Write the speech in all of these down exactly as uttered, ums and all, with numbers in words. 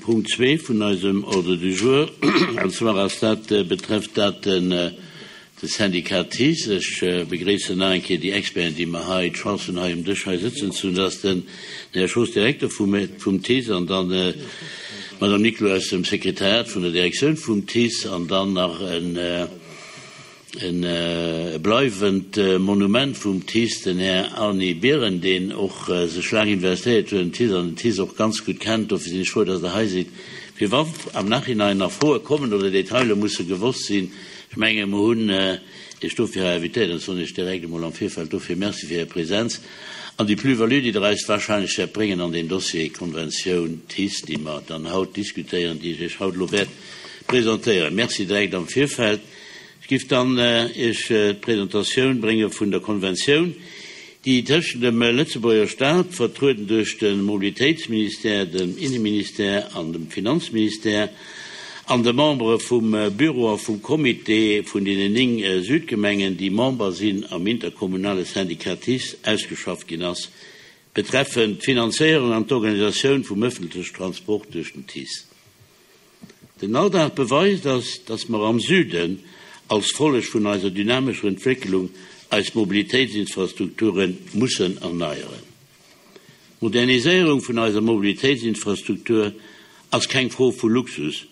Punkt zwee vun eisem Ordre du jour, an zwar ass dat, betrefft dat den de Syndicat TICE. Ech begréissen nach eng Kéier déi Experten, déi mer hei d'Chance hunn, hei um Dësch hei sëtzen ze hunn. Dat ass den Här Schoos, Direkter vum vum TICE, an dann d'Madame Niclou aus dem Sekretariat vun der Direktioun vum TICE, an dann nach en e bleiwend Monument vum TICE, den Här Arny Biren, deen och sech laang investéiert huet am TICE an den TICE och ganz gutt kennt. Dofir sinn ech frou, dass Der hei sidd, fir wa am Nachhinein nach Froe kommen oder Detailer musse gewosst sinn. Ech menge mer hunn Iech dofir hei invitéiert an soen Iech direkt emol am Virfeld dofir Merci fir Är Präsenz an déi Plus-value, déi Der eis wahrscheinlech wäert bréngen an deen Dossier Konventioun TICE, déi mer dann haut diskutéieren, déi ech Iech haut elo wäert presentéieren. Merci direkt am Virfeld. Ech giff dann Iech d'Presentatioun brénge vun der Konventioun, déi tëschent dem Lëtzebuerger Staat, vertrueden duerch de Mobilitéitsministère, dem Inneministère an dem Finanzministère, an de Membere vum Büro a vum Comité vun deenen néng Südgemengen, déi Member sinn am interkommunale Syndicat TICE, ausgeschafft ginn ass, betreffend d'Finanzéierung an d'Organisatioun vum ëffentlechen Transport duerch den TICE. Den Alldag beweist ass, dass mer am Süden als Folleg vun eiser dynamescher Entwécklung eis Mobilitéitsinfrastrukture mussen erneieren. D'Moderniséierung vun eiser Mobilitéitsinfrastruktur ass keng Fro vu Luxus,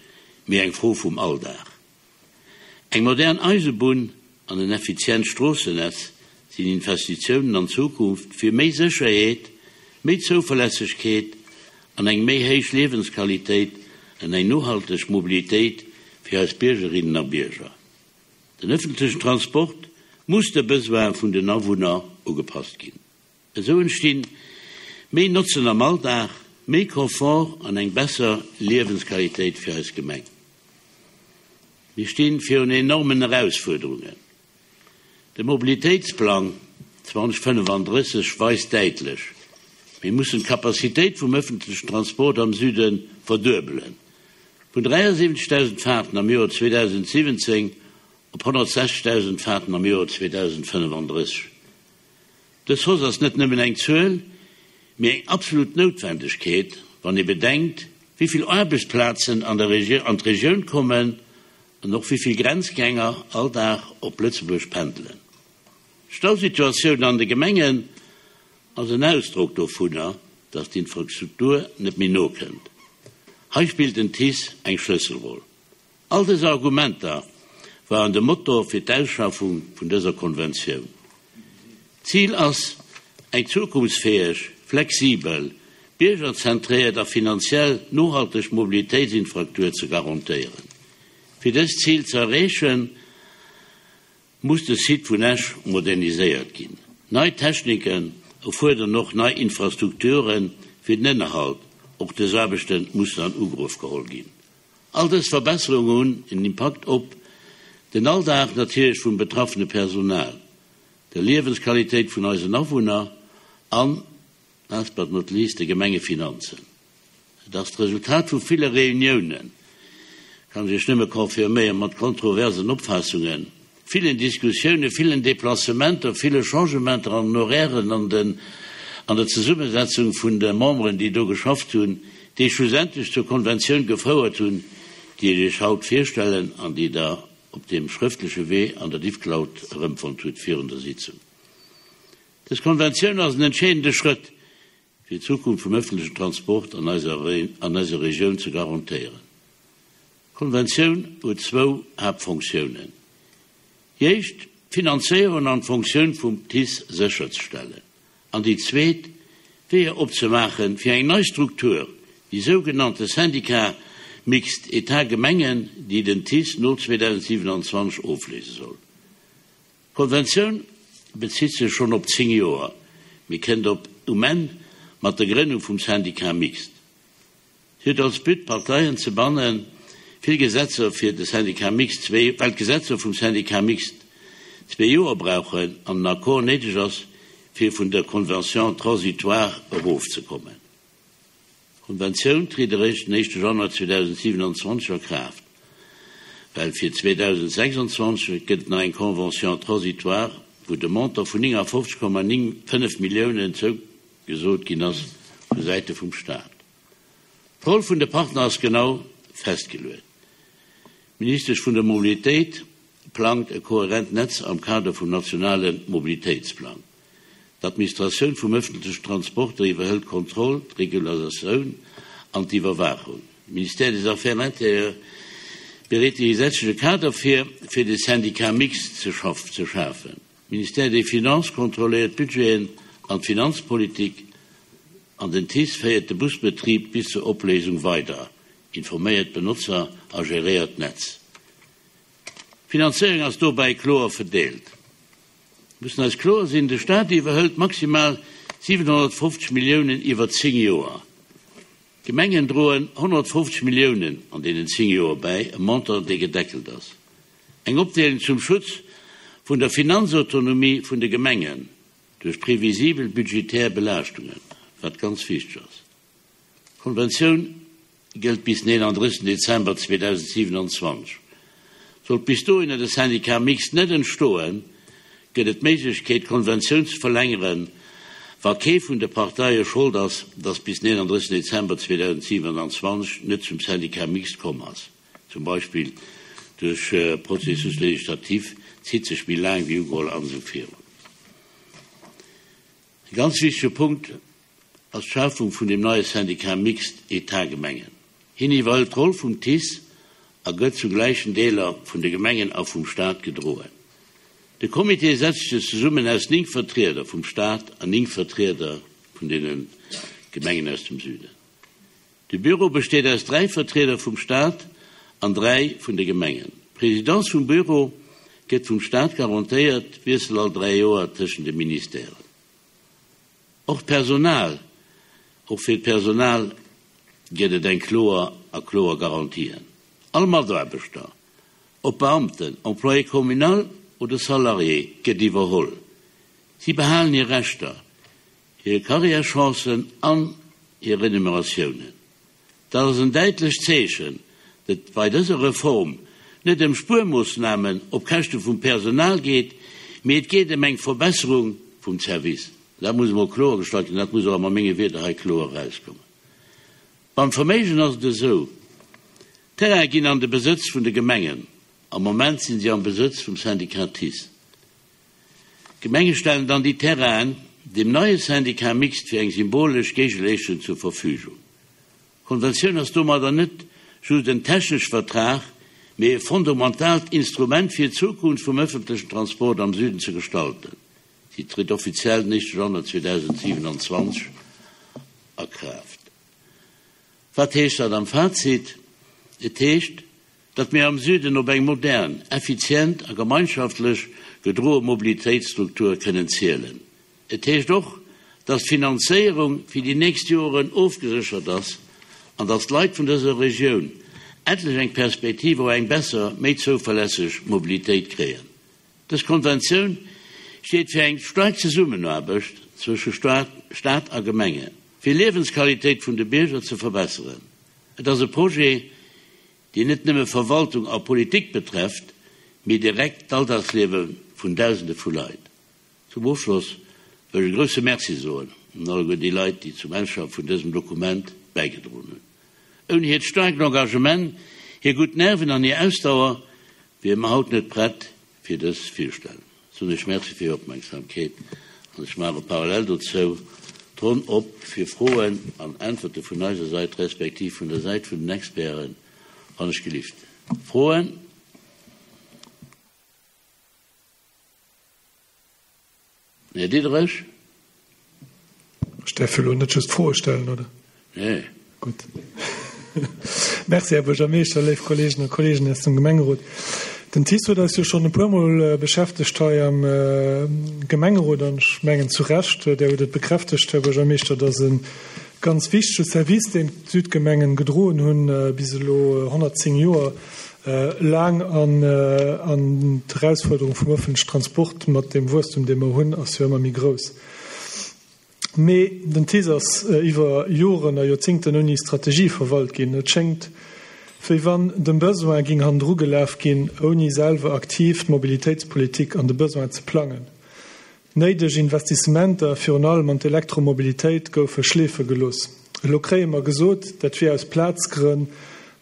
mee eng Fro vum Alldag. Eng modern Eisebunn an en effizient Stroossennetz sinn Investitiounen an d'Zukunft fir méi Sécherheet, méi Zouverlässegkeet an eng méi héich Liewensqualitéit an eng nohalteg Mobilitéit fir eis Biergerinnen a Bierger. Den ëffentlechen Transport muss de Besoine vun den Awunner ugepasst ginn. Esou entstinn méi Notzen am Alldag, méi Confort an eng besser Liewensqualitéit fir eis Gemeng. Mir stinn virun enormen Erausfuerderungen. De Mobilitéitsplang zweedausendfënnefandrësseg weist däitlech, Mir mussen d'Capacitéit vum ëffentlechen Transport am Süde verduebelen, vun dräiasiwwenzegdausend Faarten am Joer zweedausensiwwenzéng op honnertsechzegdausend Faarten am Joer zweedausendfënnefandrësseg. Dës Hausse ass net nëmmen eng Zuel, mee eng absolut Noutwendegkeet, wann ee bedenkt, wéi vill Aarbechtsplazen an d'Regioun kommen an och wéi vill Grenzgänger all Dag op Lëtzebuerg pendelen. D'Stausituatioun an de Gemengen ass en Ausdrock dovunner, dass d'Infrastruktur net méi nokënnt. Hei spillt den TICE eng Schlësselroll. All dës Argumenter waren de Motor fir d'Ausschaffung vun dëser Konventioun. D'Zil ass eng zukunftsfäeg, flexibel, biergerzentréiert a finanziell nohalteg Mobilitéitsinfraktur ze garantéieren. Fir dëst Zil ze erreechen, muss de Site vun Esch moderniséiert ginn. Nei Techniken erfuerderen och nei Infrastrukture fir den Ënnerhalt. Och dës Aarbechte mussen an Ugrëff geholl ginn. All dës Verbesserunge hunn en Impakt op den Alldag natierlech vum betraffene Personal, der Liewensqualitéit vun eisen Awunner an, last but not least, de Gemengefinanzen. Et ass d'Resultat vu ville Reuniounen, kann ech Iech nëmme confirméieren, mat kontroversen Opfaassungen, villen Diskussiounen, villen Deplacementer, ville Changementer an den Horairen, an den, an der Zesummesetzung vun de Memberen, déi do geschafft hunn, déi schlussendlech zur Konventioun gefouert hunn, déi ech Iech haut virstellen an déi Der op deem schrëftleche Wee an der Diffcloud erëmfonnt hutt virun der Sitzung. Dës Konventioun ass en entscheedende Schrëtt, fir d'Zukunft vum ëffentlechen Transport an eiser an eiser Regioun ze garantéieren. D'Konventioun huet zwou Haaptfonctiounen, Déi éischt, d'Finanzéierung an d'Fonctioun vum TICE sécherzestellen, an déi zweet, Weeër opzemaache fir eng nei Struktur, déi sougenannte Syndicat mixte État-Gemengen, déi den TICE no zweedausendsiewenanzwanzeg ofléise soll. D'Konventioun bezitt sech schonn op zéng Joer, mee kënnt op um Enn mat der Grënnung vum Syndicat mixte. Si huet als But, d'Parteien ze bannen, vill Gesetzer fir de Syndicat mixte zwee, well d'Gesetzer vum Syndicat mixte zwee Joer brauchen an en Accord néideg ass, fir vun der Convention transitoire erofzekommen. D'Konventioun tritt eréischt den éischte Januar zweedausendsiewenanzwanzeg a Kraaft, well fir zweedausendsechsundzwanzeg gëtt et nach eng Convention transitoire, wou de Montant vun néngafofzeg Komma néng fënnef Milliounen zougesot ginn ass vu Säite vum Stat. D'Roll vun de Partner ass genau festgeluecht. D'Ministesch vun der Mobilitéit plangt e kohärent Netz am Kader vum nationale Mobilitéitsplang. D'Administratioun vum ëffentlechen Transporter iwwerhëlt d'Kontroll, d'Regulasatioun an d'Iwwerwaachung. De Ministère des Affaires intérieures bereet de gesetzleche Kader vir, fir de Syndicat mixte ze schafen. De Ministère des Finances kontrolléiert d'Budgeten an d'Finanzpolitik an den TICE féiert de Busbetrib bis zur Opléisung weider, informéiert d'Benotzer a geréiert d'Netz. D'Finanzéierung ass dobäi kloer verdeelt. Mir mussen eis kloer sinn, De Staat iwwerhëlt maximal siwenhonnertfofzeg Milliounen iwwer zéng Joer. D'Gemengen droen honnertfofzeg Milliounen an deenen zéng Joer bäi, e Montant, dee gedeckelt ass. Eng Opdeelung zum Schutz vun der Finanzautonomie vun de Gemengen duerch previsibel budgetär Belaaschtungen, wat ganz wichteg ass. D'Konventioun gëllt bis den eenandrëssegsten Dezember zweedausendsiewenanzwanzeg. Sollt bis dohinner de Syndicat mixte net entstoen, gëtt et d'Méiglechkeet, d'Konventioun ze verlängeren, wa kee vun de Parteie Schold ass, datt bis den eenandrëssegsten Dezember zweedausendsiewenanzwanzeg net zum Syndicat mixte komm ass, zum Beispill duerch Processus législatif, zitt sech méi laang wéi ugeholl an esou virun. E ganz wichtege Punkt ass d'Schafung vun deem neie Syndicat mixte État-Gemengen. Hien iwwerhëlt d'Roll vum TICE a gëtt zu gläichen Deeler vun de Gemengen a vum Stat gedroen. De Comité setzt sech zesummen aus néng Vertrieder vum Stat an néng Vertrieder vun deene Gemengen aus dem Süden. De Bureau besteet aus dräi Vertrieder vum Stat an dräi vun de Gemengen. D'Presidence vum Bureau gëtt vum Stat garantéiert, Wiessel all dräi Joer tëschent de Ministèren. Och d'Personal, och fir d'Personal gëtt et eng kloer a kloer Garantien. All Mataarbechter, ob Beamten, Employé communal oder Salarié, gëtt iwwerholl. Si behalen hir Rechter, hir Karriärchancen an hir Renumeratiounen. Dat ass en däitlecht Zeechen, datt et bei dëser Reform net ëm Spuermoossnamen op Käschte vum Personal geet, mee et geet ëm eng Verbesserung vum Service. Dat muss emol kloergestallt ginn, dat muss och a menge Wierder hei kloer erauskommen. Beim Verméigen ass et esou, D'Terraine ginn an de Besëtz vun de Gemengen. Am Moment sinn si am Besëtz vum Syndicat TICE. D'Gemenge stellen dann déi Terrainen dem neie Syndicat mixte fir eng symbolesch Géigeleeschtung zur Verfügung. D'Konventioun ass domadder net just en technesche Vertrag, mee e fundamentaalt Instrument fir d'Zukunft vum ëffentlechen Transport am Süden ze gestalten. Si trëtt offiziell den éischte Januar zweedausendsiewenanzwanzeg a Kraaft. Wat heescht dat am Fazit? Et heescht, datt mir am Süden op eng modern, effizient a gemeinschaftlech gedroe Mobilitéitsstruktur kënnen zielen. Et heescht och, datt d'Finanzéierung fir déi nächst Joren ofgeséchert ass an datt d'Leit vun dëser Regioun endlech eng Perspektiv op eng besser, méi zouverlässeg Mobilitéit kréien. Dës Konventioun steet fir eng staark Zesummenaarbecht zwësche Staat a Gemengen, fir Liewensqualitéit vun de Bierger ze verbesseren. Et ass e Projet, deen net nëmme Verwaltung a Politik betrefft, mee direkt d'Alldagsliewe vun Dausende vu Leit. Zum Ofschloss wëll ech e grousse Merci soen un alleguer déi Leit, déi zum Ausschaffe vun dësem Dokument bäigedroen hunn. Ouni hiert staarkt Engagement, hir gutt Nerven an hir Ausdauer wiere mer haut net prett fir dës Virstellung. Soen ech Merci fir Är Opmerksamkeet an ech maache parallel dozou d'Ronn op fir Froen an Äntwerte vun eiser Sait respektiv vun der Säit vun den Experten, wann ech gelift. Froen? Här Diderich. Ech däerf jo elo net just Froe stellen, oder? Nee. Gutt. Merci, Här Buergermeeschter, léif Kolleeginnen a Kolleegen aus dem Gemengerot. Den TICE huet eis jo schonn e puermol beschäftegt hei am Gemengerot an ech mengen zu Recht, Där hutt et bekräftegt, Här Buergermeeschter, dass e ganz wichtege Service, deen d'Südgemengen gedroen hunn bis elo honnertzéng Joer laang an d'Erausfuerderung vum ëffentlechen Transport mat deem Wuesstum, dee mer hunn, ass jo ëmmer méi grouss. Mee den TICE ass iwwer Joren a Joerzingten ouni Strategie verwalt ginn. Et schéngt, wéi wann dem Besoin ging hannendru gelaf ginn, ouni selwer aktiv d'Mobilitéitspolitik an de Besoin ze plangen. Néideg Investissementer, virun allem an d'Elektromobilitéit, goufe schleefe gelooss. Elo kréie mer gesot, dat wier aus Plazgrënn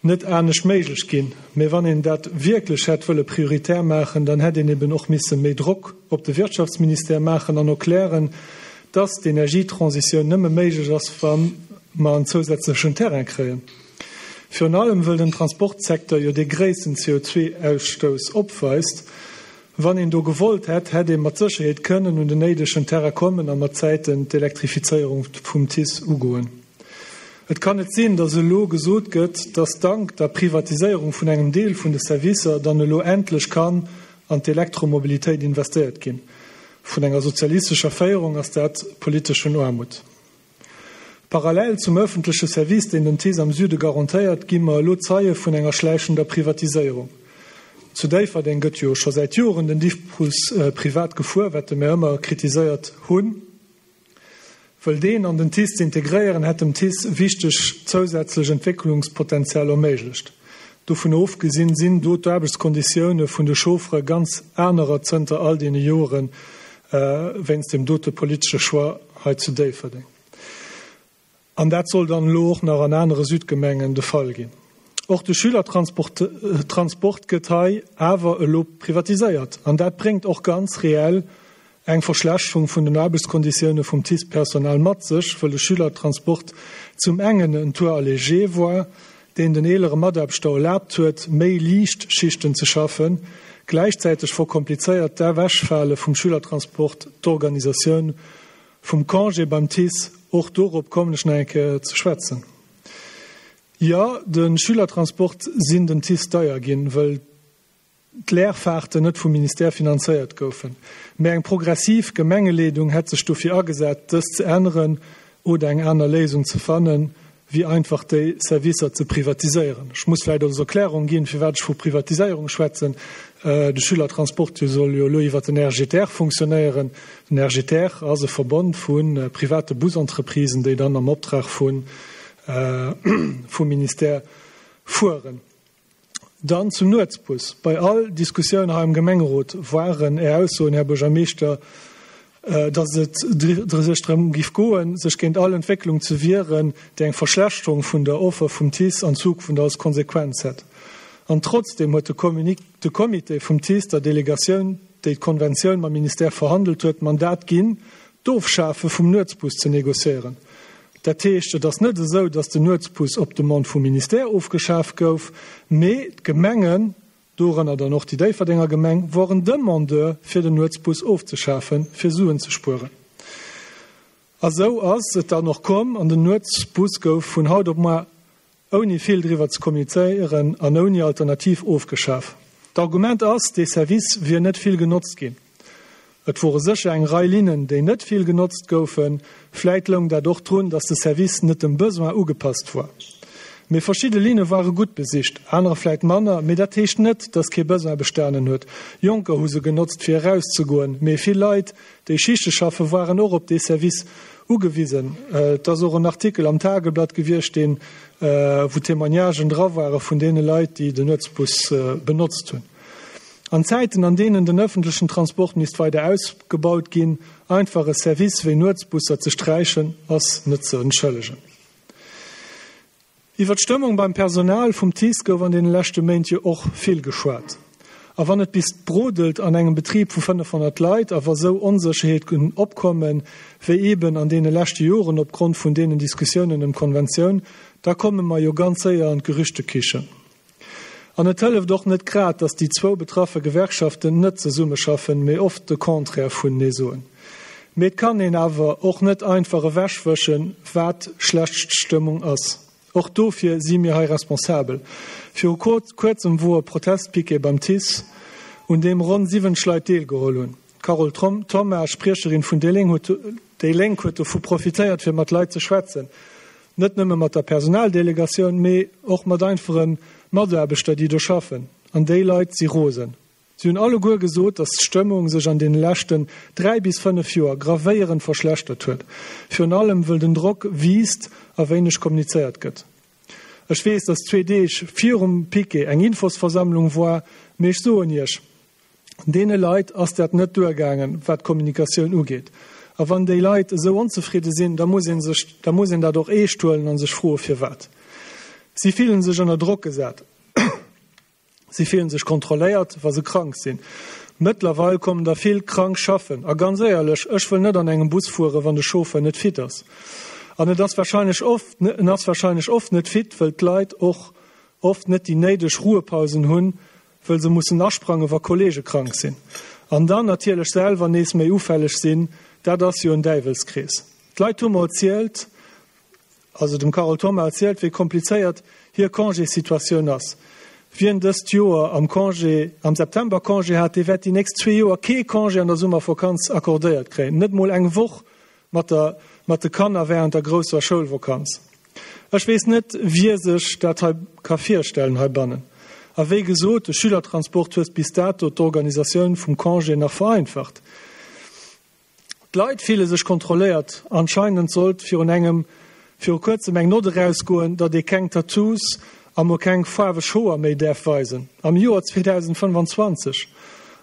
net anescht méiglech ginn. Mee wann een dat wierklech hätt wëlle prioritär maachen, dann hätt een eben och misse méi Drock op de Wirtschaftsministère maachen an erklären, dass d'Energietransitioun nëmme méiglech ass, wa mer en zousätzlechen Terrain kréien. Virun allem wëll den Transportsecteur jo dee gréissten C O zwei Ausstouss opweist. Wann een do gewollt hätt, hätt ee mat Sécherheet kënnen un den néidegen Terrain kommen a mat Zäiten d'Elektrifizéierung vum TICE ugoen. Et kann net sinn, dass elo gesot gëtt, dass dank der Privatiséierung vun engem Deel vun de Servicer dann elo endlech kann an d'Elektromobilitéit investéiert ginn. Vun enger sozialistescher Féierung ass dat politeschen Aarmut. Parallel zum öffentleche Service, deen den TICE am Süde garantéiert, gi mer elo Zeie vun enger schläichender Privatiséierung. Zu Déifferdeng gëtt jo scho säit Joren den Diffbus privat gefuer, wat mir ëmmer kritiséiert hunn. Wëll deen an den TICE ze integréieren, hätt dem TICE wichteg zousätzlech Entwécklungspotenzial erméiglecht. Dovun ofgesinn sinn do d'Aarbechtskonditioune vun de Chauffere ganz anerer zënter all deene Joren, wéinst dem dote politesche Choix hei zu Déifferdeng. An dat soll dann elo och nach an anere Südgemengen de Fall ginn. Och de Schülertransport Transport gëtt hei awer elo privatiséiert. An dat bréngt och ganz reell eng Verschlechterung vun den Aarbechtskonditioune vum TICE-Personal mat sech, wëll de Schülertransport zum engen en Tour allégé war, deen den eelere Mataarbechter erlaabt huet, méi liicht Schichten ze schaffen. Gläichzäiteg verkomplizéiert d'Ewechfale vum Schülertransport d'Organisatioun vum Congé beim TICE. Och dorop kommen ech nach eng Kéier ze schwätzen. Jo, de Schülertransport sinn den TICE deier ginn, wëll d'Leerfahrten net vum Ministère finanzéiert goufen. Mee eng progressiv Gemengeleedung hätt sech dofir agesat, dëst ze änneren oder eng aner Léisung ze fannen, wéi einfach déi Servicer ze privatiséieren. Ech muss vläicht als Erklärung ginn, firwat ech vu Privatiséierung schwätzen. De Schülertransport soll jo elo iwwer den R G T R funktionéieren. Den R G T R ass e Verbond vu private Busentreprisen, déi dann am Optrag vun vum Ministère fueren. Dann zum Nuetsbus. Bei all Diskussioun hei am Gemengerot waren Är Aussoen, Här Buergermeeschter, dass et sech drëm giff goen, sech géint all Entwécklung ze wieren, déi eng Verschlechterung vun der Offer vum TICE an Zukunft als Konsequenz hätt. An trotzdeem huet de Comité vum TICE der Delegatioun, déi d'Konventioun mam Ministère verhandelt huet, d'Mandat ginn, d'Ofschafe vum Nuetsbus ze negociéieren. Dat heescht, et ass net esou, dass den Nuetsbus op Demande vum Ministère ofgeschaf gouf, mee d'Gemengen, dorënner dann och déi Déifferdenger Gemeng, woren Demandeur fir den Nuetsbus ofzeschafen, fir Suen ze spueren. A sou ass et dann och komm an den Nuetsbus gouf vun haut op muer ouni vill driwwer ze kommunizéieren an ouni Alternativ ofgeschaf. D'Argument ass, dee Service wier net vill genotzt ginn. Et wore sécher eng Rei Linnen, déi net vill genotzt goufen. Vläit loung dat och drun, dass de Service net dem Besoin ugepasst war. Mee verschidde Linne ware gutt besicht, anerer vläit manner, mee dat heescht net, dass kee Besoin bestanen huet. Jonker hu se genotzt fir erauszegoen, mee vill Leit, déi Schichte schaffen, waren och op dee Service ugewisen. Et ass och en Artikel am Tageblatt gewiescht, deen, wou Témoignagen dra ware vun deene Leit, déi den Nuetsbus benotzt hunn. An Zäiten, an deenen den ëffentlechen Transport misst weider ausgebaut ginn, einfach e Service wéi Nuetsbusser ze sträichen, ass net ze entschëllegen. Iwwer d'Stëmmung beim Personal vum TICE gouf an deene leschte Méint jo och vill geschwat. A wann et bis brodelt an engem Betrib vu fënnefhonnert Leit a wa sou Onsécherheeten opkommen, wéi eben an deene leschte Joren opgrond vun deenen Diskussiounen ëm d'Konventioun, da komme mer jo ganz séier an d'Gerüchtekichen. An et hëlleft och net grad, datt déi zwou betraffe Gewerkschaften net zesummeschaffen, mee oft de Contraire vunenee soen. Mee et kann een awer och net einfach ewechwëschen, wat schlecht Stëmmung ass. Och dofir si mir hei responsabel. Viru kuerzem wor e Protestpiquet beim TICE, un deem ronn siwwenzeg Leit deelgeholl hunn. D'Carole Thoma, Spriecherin vun déi Lénk, huet dovu profitéiert, fir mat Leit ze schwätzen. Net nëmme mat der Personaldelegatioun, mee och mat einfache Mataarbechter, déi do schaffen. An déi Leit si rosen. Si hunn alleguer gesot, datt d'Stëmmung sech an deene leschten dräi bis fënnef Joer gravéierend verschlechtert huet, virun allem wëll den Drock wiisst a wéineg kommunizéiert gëtt. Ech weess, datt zwee Deeg virum Piquet eng Infosversammlung war, mee ech soen Iech, deene Leit ass dat net duergaangen, wat d'Kommunikatioun ugeet. A wann déi Leit esou onzefridde sinn, da muss ee sech, da muss een dat och eescht huelen a sech froe firwat. Si fillen sech ënner Drock gesat. Si fillen sech kontrolléiert, wa se krank sinn. Mëttlerweil kommen der vill krank schaffen. A ganz éierlech, ech wëll net an engem Bus fueren, wann de Chauffeur net fit ass. An et ass warscheinlech oft, en ass warscheinlech oft net fit, wëll d'Leit och oft net déi néideg Ruhepausen hunn, wëll se mussen asprangen, wa Kollege krank sinn. An dann natierlech selwer nees méi ufälleg sinn, dat ass jo en Däiwelskrees. D'Leit hu mer erzielt, also dem Carole Thoma erzielt, wéi komplizéiert hir Congéssituatioun ass. Wien dëst Joer am Congé, am September Congé hat, dee wäert déi nächst zwee Joer kee Congé an der Summervakanz accordéiert kréien, net mol eng Woch mat der, mat de Kanner während der grousser Schoulvakanz. Ech weess net, wie sech dat hei ka virstellen heibannen. A wéi gesot, de Schülertransport huet bis dato d'Organisatioun vum Congé nach vereinfacht. D'Leit fille sech kontrolléiert. Anscheinend sollt virun engem, viru kuerzem eng Note erausgoen, datt ee keng Tattoos a mol keng faarweg Hoer méi däerf weisen. Am Joer zweedausendfënnfanzwanzeg.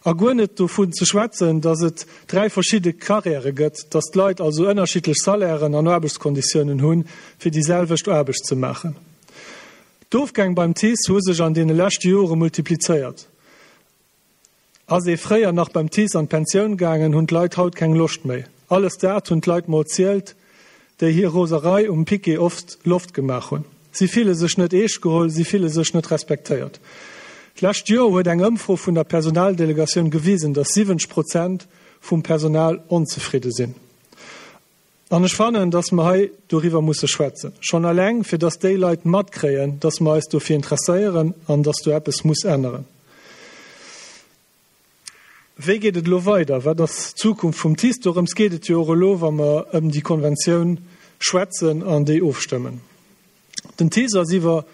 A guer net dovun ze schwätzen, datt et dräi verschidde Karriäre gëtt, datt d'Leit also ënnerschiddlech Salairen an Aarbechtskonditiounen hunn, fir déi selwecht Aarbecht ze maachen. D'Ofgäng beim TICE hu sech an deene leschte Jore multiplizéiert. Ass ee fréier nach beim TICE an d'Pensioun gaangen, hunn d'Leit haut keng Loscht méi. Alles dat hunn d'Leit mer erzielt, déi hir Roserei um Piquet oft Loft gemaach hunn. Si fille sech net eescht geholl, si fille sech net respektéiert. D'lescht Joer huet eng Ëmfro vun der Personaldelegatioun gewisen, datt siwwenzeg Prozent vum Personal onzefridde sinn. An ech fannen, datt mer hei doriwwer musse schwätzen. Schonn eleng, fir datt déi Leit matkréien, datt mer eis dofir interesséieren an datt do eppes muss änneren. Wéi geet et elo weider? Wat ass d'Zukunft vum TICE? Dorëms geet et jo och elo, wa mer ëm déi Konventioun schwätzen an déi ofstëmmen. Den TICE ass iwwer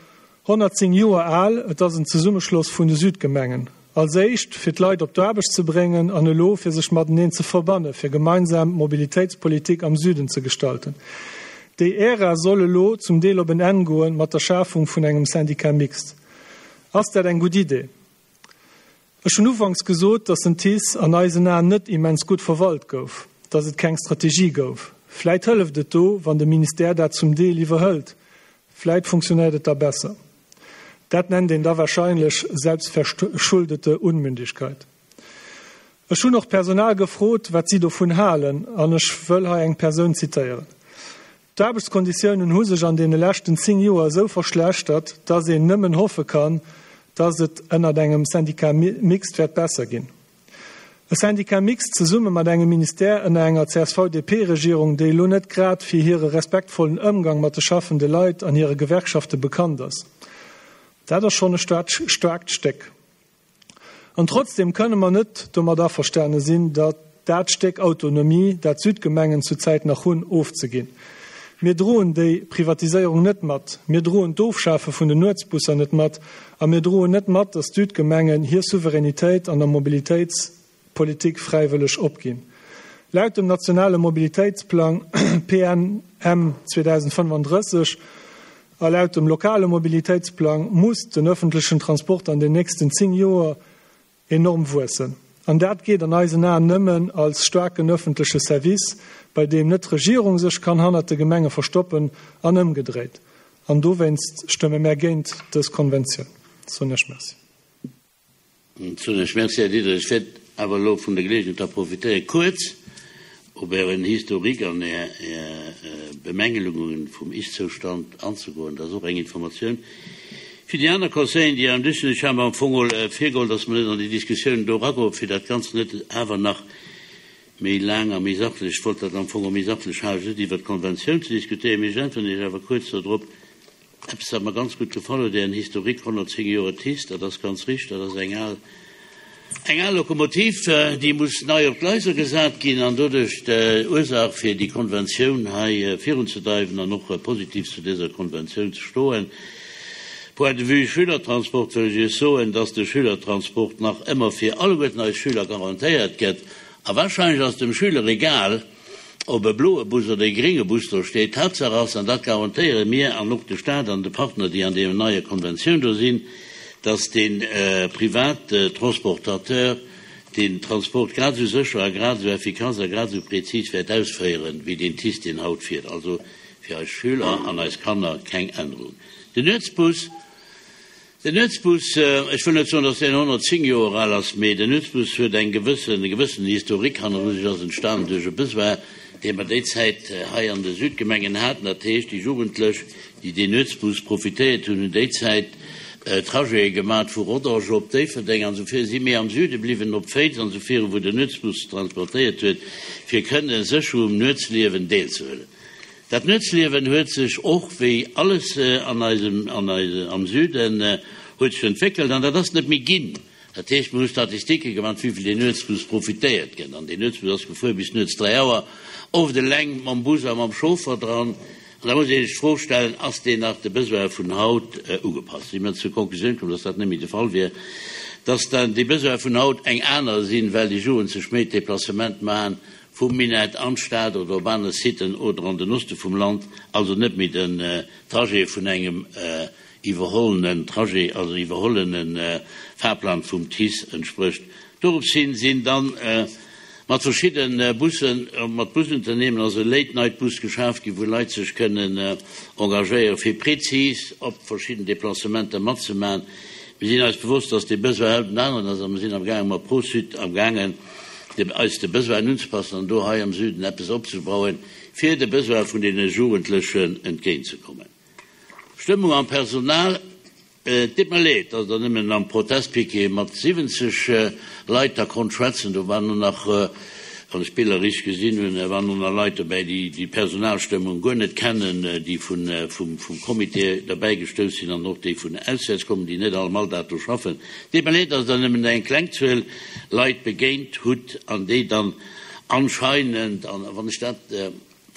honnertzéng Joer al. Et ass en Zesummeschloss vun de Südgemengen. Als éischt, fir d'Leit op d'Aarbecht ze bréngen an elo, fir sech mateneen ze verbannen, fir gemeinsam d'Mobilitéitspolitik am Süden ze gestalten. Déi Ära soll elo zum Deel op en Enn goen mat der Schafung vun engem Syndicat mixte. Ass dat eng gutt Idee? Ech hunn ufanks gesot, datt den TICE an eisen Aen net immens gutt verwalt gouf, datt et keng Strategie gouf. Vläit hëlleft et do, wann de Ministère dat zum Deel iwwerhëlt. Vläit funktionéiert et da besser. Dat nennt een da wahrscheinlech selbstverschuldete Unmündigkeit. Ech hunn och d'Personal gefrot, wat si dovun halen, an ech wëll hei eng Persoun zitéieren. D'Aarbechtskonditiounen hu sech an deene leschten zéng Joer esou verschlechtert, datt een nëmmen hoffe kann, datt et ënnert engem Syndicat mixte wäert besser ginn. E Syndicat mixte zesumme mat engem Ministère ënner enger C S V-D P-Regierung, déi elo net grad fir hire respektvollen Ëmgang mat de schaffende Leit an hire Gewerkschafte bekannt ass. Dat ass schonn e staarkt Stéck. An trotzdem kënne mer net domat averstane sinn, datt dat Stéck Autonomie, dat d'Südgemengen zurzäit nach hunn, ofzeginn. Mir droen déi Privatiséierung net mat, mir droen d'Ofschafe vun den Nuetsbusser net mat a mir droen net mat, datt d'Südgemengen hir Souveränitéit an der Mobilitéitspolitik fräiwëlleg opginn. Laut dem nationale Mobilitéitsplang P N M zweedausendfënnefandrësseg a laut dem lokale Mobilitéitsplang muss den öffentlichen Transport an den nächsten zéng Joer enorm wuessen. An dat geet an eisen Aen nëmmen als starken öffentliche Service, bei deem net d'Regierung sech kann hannert de Gemenge verstoppen an ëmgedréit. An dowéinst stëmme mär géint dës Konventioun. Soen ech Merci. Soen ech Merci, Här Diderich. Ech wäert awer elo vun der Geleegenheet da profitéieren, kuerz op Ären Historique an Är, Är Bemängelungen vum Ist-Zoustand anzegoen. Dat ass och eng Informatioun fir déi aner Conseilleren, déi am Dësch sinn. Ech habe am Fong mol virgeholl, dass mer net an déi Diskussioun do eragoen, fir dat Ganzt net awer nach méi laang a méi sachlech, ech wollt dat am Fong och méi sachlech halen, net iwwer d'Konventioun ze diskutéieren, mee ech äntweren Iech awer kuerz dodrop. Eppes, wat mer ganz gutt gefall huet, Ären Historique, honnertzéng Joer TICE, dat ass ganz richteg, dat ass eng al, eng al Lokomotiv, déi muss nei op d'Gleiser gesat ginn an doduerch d'Ursaach fir déi Konventioun hei virunzedreiwen an och positiv zu dëser Konventioun ze stoen. Point de vue Schülertransport wëll ech Iech soen, dass de Schülertransport nach ëmmer fir alleguerten eis Schüler garantéiert gëtt. A wahrscheinlech ass dem Schüler egal, ob e bloe Bus oder e grénge Bus do steet. Hauptsache ass, an dat garantéiere mir an och de Staat an de Partner, déi an deem neie Konventioun do sinn, dass den, äh, Privattransportateur den Transport grad esou sécher a grad esou effikass a grad esou prezis wäert ausféieren, wéi den TICE, deen haut fiert. Also fir eis Schüler an eis Kanner keng Ännerung. Den Nuetsbus, den Nuetsbus, ech wëll net soen, dass deen honnertzéng Joer al ass, mee den Nuetsbus huet eng gewëssen, e gewëssen Historique hanneru sech, ass entstanen duerch e Besoin, dee mer déi Zäit hei an de Südgemengen haten. Dat heescht, déi Jugendlech, déi deen Nuetsbus profitéiert hunn, hunn déi Zäit Trajete gemat vu Rodange op Déifferdeng an esou vir, si méi am Süde bliwwen, op Féiz an esou viru, wou den Nuetsbus transportéiert huet, fir kënne sécher um Nuetsliewen deelzehuelen. Dat Nuetsliewen huet sech och, wéi alles an eisem, an eise, am Süden, huet sech entwéckelt an dat ass net méi ginn. Dat heescht, mir hu Statistike gemaach, wéi vill deen Nuetsbus profitéiert gëtt. An deen Nuetsbus ass gefuer bis nuets dräi Auer, oft eleng mam Bus a mam Chauffer dran. An da muss ee sech d'Fro stellen, Ass deen nach de Besoine vun haut ugepasst? Si mir zur Konklusioun komm, dass dat net méi de Fall wier, dass dann déi Besoine vun haut eng aner sinn, well déi Jugend sech méi d'Deplacement maachen vum Minett an d'Stad oder op aner Siten oder an den Oste vum Land, also net méi den Trajet vun engem iwwerhollenen Trajet, also iwwerhollene Fahrplan vum TICE entsprécht. Doropshin sinn dann mat verschidde Bussen, mat Busunternehmen ass e Late-Night-Bus geschaf ginn, wou Leit sech kënnen engagéieren, fir prezis op verschidden Deplacementer matzemaachen. Mir sinn eis bewosst, dass dee Besoin haut en aneren ass a mir sinn amgaangen, mat Pro-Sud amgaangen, eis de Besoinen unzepassen an do hei am Süden eppes opzebauen, fir de Besoin vun deene Jugendlechen entgéintzekommen. Stëmmung am Personal. Et deet mer leed, datt Der nëmmen am Protestpiquet mat siwwenzeg Leit da konnt schwätzen. Do waren och nach, wann ech d'Biller richteg gesinn hunn, waren och nach Leit dobäi, déi déi Personalstëmmung guer net kennen, déi vum Comité derbäi gestouss sinn an och déi vun auswäerts kommen, déi net all am Alldag do schaffen. Et deet mer leed, datt Der nëmmen eng kleng Zuel Leit begéint hutt an déi dann anscheinend, an wann ech dat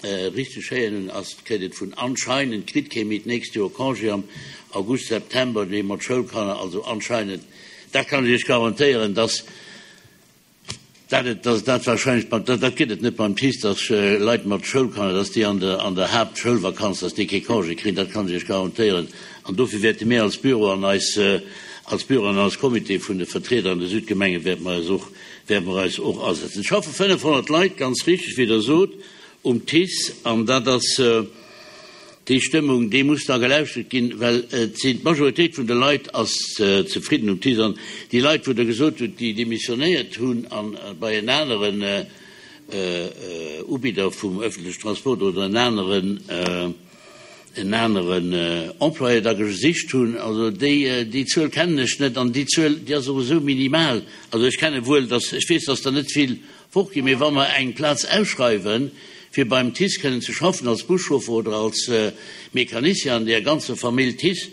Richteg héieren hunn, ass kritt et vun anscheinend kritt kee méi d'nächst Joer Congé am August, September, dee mat Schoulkanner, also anscheinend, dat kann ech Iech garantéieren, dass dat et, dass dat wahrscheinlech beim, dat gëtt et net beim TICE, dass Leit mat Schoulkanner, dass déi an der, an der Haaptschoulvakanz, dass déi kee Congé kréien, dat kann ech Iech garantéieren. An dofir wäerte mir als Büro an eis, als Büro an als Comité vun de Vertrieder an de Südgemenge wäerte mer eis och, wäerte mer eis och asetzen. Et schaffe fënnefhonnert Leit, ganz richteg, wéi Der sot, um TICE, an dat ass déi Stëmmung, déi muss da gelauschtert ginn, well et sinn, d'Majoritéit vun de Leit ass zefridden um TICE. An déi Leit, wou Der gesot hutt, déi demissionéiert hunn a bei en aneren Ubidder vum öffentlechen Transport oder en aneren, en aneren Employé da gesicht hunn, also déi, déi Zuel kennen ech net an déi Zuel, déi ass och esou minimal. Also ech kenne wuel, dass, ech weess, dass der net vill fortginn, mee wa mer eng Plaz ausschreiwen, fir beim TICE kënnen ze schaffen als Buschauffer oder als Mecanicien an där ganzer Famill TICE,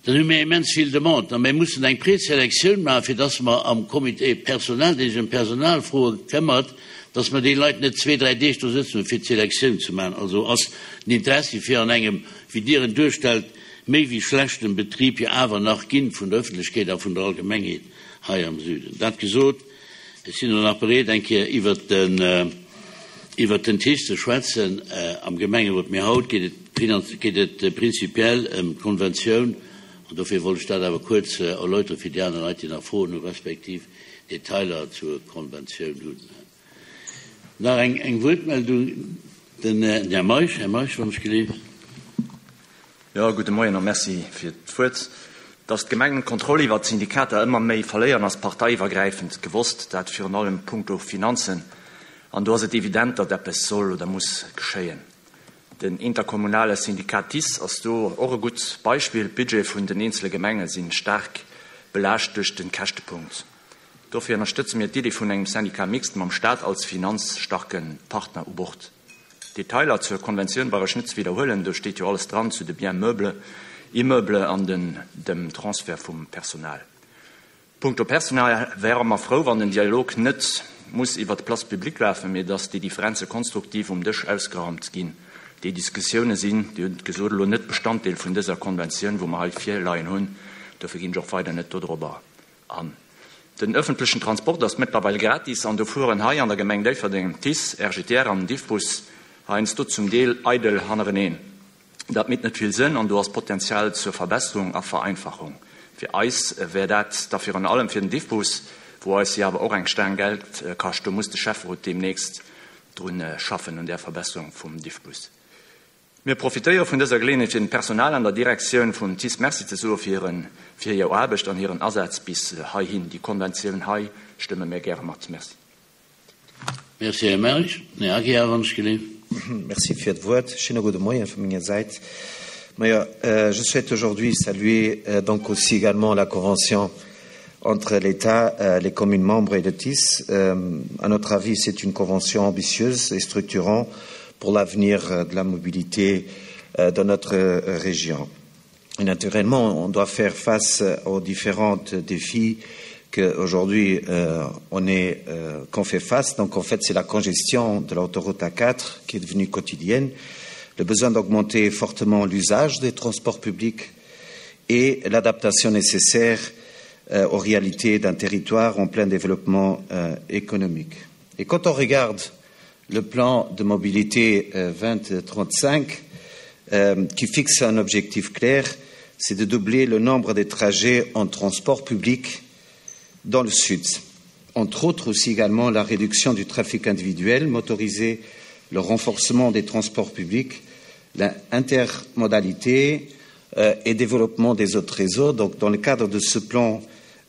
dann hu mir immens vill Demanden a mir mussen eng Preselektioun maachen, fir dass mer am Comité Personnel, dee sech ëm Personalfroe këmmert, dass mer déi Leit net zwee, dräi Deeg do sëtzen hunn, fir d'Selektioun ze maachen. Also ass den Interessi fir an engem, wéi Dir en duerstellt, méi wéi schlechten Betrib jo awer nach ginn vun der Öffentlechkeet a vun der Allgemengheet hei am Süden. Dat gesot, ech sinn elo nach bereet, eng Kéier iwwert den, iwwert den TICE ze schwätzen am Gemengerot, mee haut geet et, geet et prinzipiell ëm d'Konventioun, an dofir wollt ech dat awer kuerz erläuteren, fir déi aner Leit, déi nach Froen hu respektiv Detailer zur Konventioun hunn. Nach eng, eng Wuertmeldung, den Här Meisch. Här Meisch, wann ech geleeft. Jo, gudde Moien a Merci fir d'Wuert. Datt d'Gemengen d'Kontroll iwwert d'Syndikater ëmmer méi verléieren, ass parteiiwwergräifend gewosst, dat virun allem punkto Finanzen. An do ass et evident, datt eppes soll oder muss geschéien. Den interkommunale Syndikat TICE ass do och e gutt Beispill. D'Budgete vun den eenzele Gemenge si staark belaascht duerch de Käschtepunkt. Dofir ënnerstëtze mir d'Iddi vun engem Syndicat mixte mam Staat als finanzstarke Partner u Bord. D'Detailer zur Konventioun brauch ech net ze widderhuelen, do steet jo alles dran zu de Biens meubles, Immeubles an den dem Transfert vum Personal. Punkto Personal wäre mer frou, wann den Dialog net muss iwwer d'Place publique lafen, mee datt déi Differenze konstruktiv um Dësch ausgeraumt ginn. Déi Diskussioune sinn, Dir hutt et gesot, elo net Bestanddeel vun dëser Konventioun, wou mer hei virleien hunn. Dofir ginn ech och weider net dodrobber an. Den ëffentlechen Transport ass mëttlerweil gratis an do fueren hei an der Gemeng Déifferdeng TICE, R G T R an Diffbus heiansdo zum Deel eidel hannereneen. Dat mécht net vill Sënn an do ass Potenzial zur Verbesserung a Vereinfachung. Fir eis wär dat da virun allem fir den Diffbus, wou eis jo awer och eng Staang Geld kascht. Do muss de Schäfferot deemnächst drun schaffen un där Verbesserung vum Diffbus. Mir profitéiere vun dëser Geleeënheet fir dem Personal an der Direktioun vum TICE Merci ze soe fir hiren, fir hir Aarbecht an hiren Asaz bis heihin. Déi Konventioun hei stëmme mir gäre mat. Merci. Merci, Här Mersch. Här Aguiar, wann ech geleeft. Merci fir d'Wuert. Schéine gudde Moien vu menger Säit. Majo, je souhaite aujourd'hui saluer donc aussi également la convention entre l'État, les communes membres et le TICE. À notre avis, c'est une convention ambitieuse et structurante pour l'avenir de la mobilité dans notre région. Et naturellement, on doit faire face aux différents défis qu'aujourd'hui euh, on est euh, qu'on fait face. Donc en fait, c'est la congestion de l'autoroute A quatre qui est devenue quotidienne, le besoin d'augmenter fortement l'usage des transports publics et l'adaptation nécessaire euh, aux réalités d'un territoire en plein développement euh, économique. Et quand on regarde le plan de mobilité euh, vingt trente-cinq, euh, qui fixe un objectif clair, c'est de doubler le nombre des trajets en transport public dans le sud. Entre autres aussi également la réduction du trafic individuel motorisé, le renforcement des transports publics, l'intermodalité, euh, et développement des autres réseaux. Donc, dans le cadre de ce plan,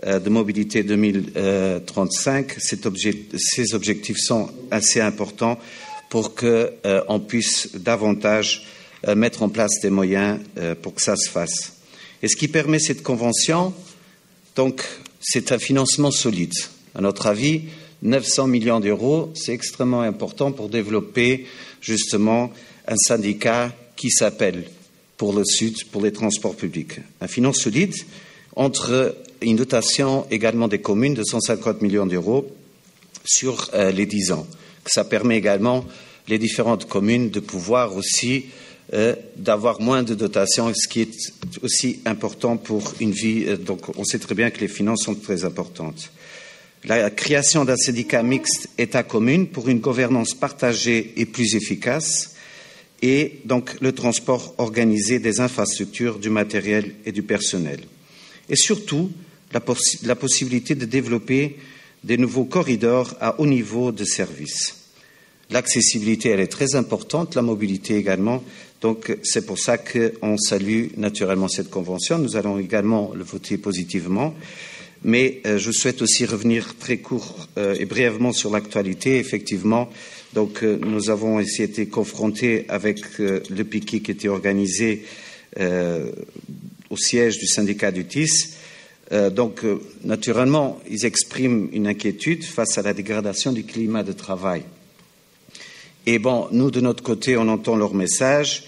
euh, de mobilité deux mille trente-cinq, cet obje-, ces objectifs sont assez importants pour que, euh, on puisse davantage, euh, mettre en place des moyens, euh, pour que ça se fasse. Et ce qui permet cette convention, donc, c'est un financement solide. À notre avis, neuf cents millions d'euros, c'est extrêmement important pour développer justement un syndicat qui s'appelle pour le Sud, pour les transports publics. Un financement solide entre une dotation également des communes de cent cinquante millions d'euros sur, euh, les dix ans. Ça permet également les différentes communes de pouvoir aussi, euh, d'avoir moins de dotations, ce qui est aussi important pour une vie. Euh, donc on sait très bien que les finances sont très importantes. La création d'un syndicat mixte État-commune pour une gouvernance partagée et plus efficace, et donc le transport organisé des infrastructures, du matériel et du personnel. Et surtout, la possi-, la possibilité de développer des nouveaux corridors à haut niveau de service. L'accessibilité, elle est très importante, la mobilité également. Donc, c'est pour ça qu'on salue naturellement cette convention. Nous allons également le voter positivement. Mais, euh, je souhaite aussi revenir très court, euh, et brièvement sur l'actualité. Effectivement, donc, euh, nous avons aussi été confrontés avec, euh, le piquet qui était organisé, euh, au siège du syndicat du T I C E. Euh, donc, euh, naturellement, ils expriment une inquiétude face à la dégradation du climat de travail. Et bon, nous, de notre côté, on entend leur message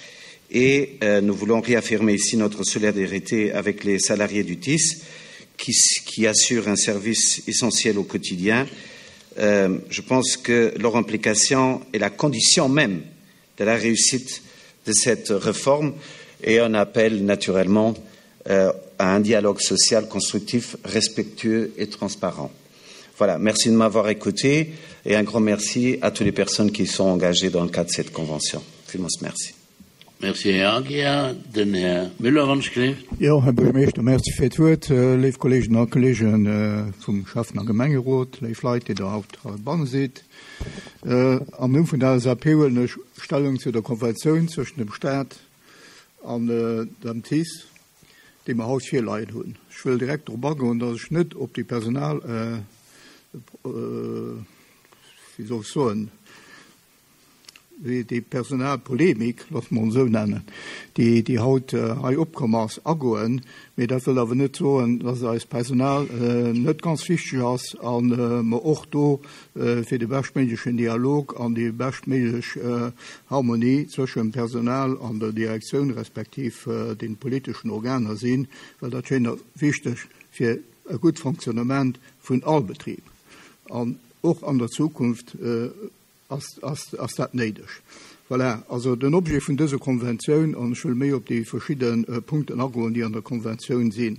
et, euh, nous voulons réaffirmer ici notre solidarité avec les salariés du T I C E qui, qui assurent un service essentiel au quotidien. Euh, je pense que leur implication est la condition même de la réussite de cette réforme et on appelle naturellement, euh, à un dialogue social constructif, respectueux et transparent. Voilà, merci de m'avoir écouté et un grand merci à toutes les personnes qui sont engagées dans le cadre de cette convention. Vielmals merci. Merci, Herr Aguiar. Den Herr Müller, wann ich gelebt. Ja, Herr Bürgermeister, merci fir d'Wuert. Äh, léif Kolleginnen a Kollegen, äh, vum Schäffen- a Gemengerot, léif Leit, déi da haut heibanne sidd. Äh, am Numm vun der L S A P huelen ech Stellung zu der Konventioun zwëschen dem Staat an, äh, dem T I C E, déi mer haut virleien hunn. Ech wëll direkt drop agoen, dass ech net op déi Personal, äh, äh, wéi soll ich soen, déi, déi Personalpolemik, lass man so nennen, déi, déi haut, äh, hei opkomm ass, agoen. Mee dat wëll awer net soen, dass eis Personal, äh, net ganz wichteg ass an, äh, mer och do, äh, fir de bestméiglechen Dialog an déi bestméiglech, äh, Harmonie zwëschen dem Personal an der Direktioun respektiv, äh, den politischen Organer sinn, well dat schéint wichteg fir e gut Fonctionnement vun all Betrieb. An och an der Zukunft, äh, ass, ass, ass dat néideg. Voilà, also den Objet vun dëser Konventioun, an ech wëll méi op déi verschiedenen, äh, Punkten agoen, déi an der Konventioun sinn.